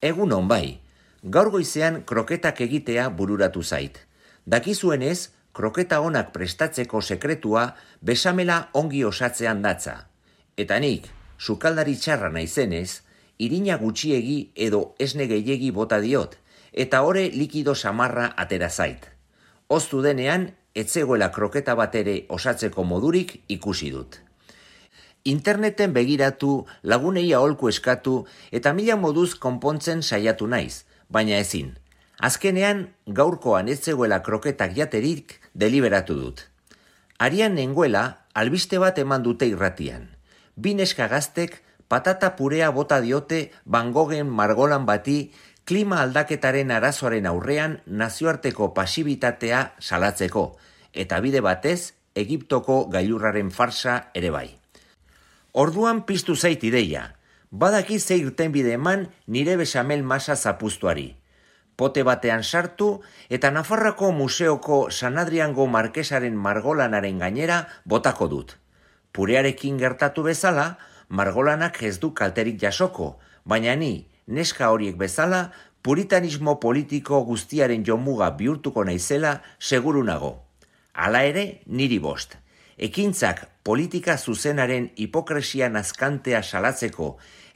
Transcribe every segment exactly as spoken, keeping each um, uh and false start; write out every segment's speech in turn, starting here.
Egunon bai, gaur goizean kroketak egitea bururatu zait. Dakizuenez, kroketa onak prestatzeko sekretua besamela ongi osatzean datza. Eta nik, sukaldari txarra naizenez, irina gutxiegi edo esne gehiegi bota diot, eta ore likido samarra atera zait. Oztu denean, etzegoela kroketa bat ere osatzeko modurik ikusi dut. Interneten begiratu, lagunei aholku eskatu eta mila moduz konpontzen saiatu naiz, baina ezin. Azkenean, gaurkoan ez zegoela kroketak jaterik deliberatu dut. Arian nengoela, albiste bat eman dute irratian. Bi neska gaztek patata purea bota diote Van Goghen margolan bati klima aldaketaren arazoaren aurrean nazioarteko pasibitatea salatzeko, eta bide batez Egiptoko gailurraren farsa ere bai. Orduan piztu zait ideia, badaki ze irtenbide eman nire besamel masa zapuztuari. Pote batean sartu eta Nafarroako museoko San Adriango markesaren margolanaren gainera botako dut. Purearekin gertatu bezala, margolanak ez du kalterik jasoko, baina ni, neska horiek bezala, puritanismo politiko guztiaren jomuga bihurtuko naizela seguru nago. Hala ere, niri bost. Ekintzak politika zuzenaren hipokresia nazkantea salatzeko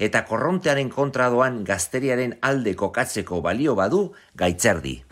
eta korrontearen kontra doan gazteriaren alde kokatzeko balio badu gaitzerdi.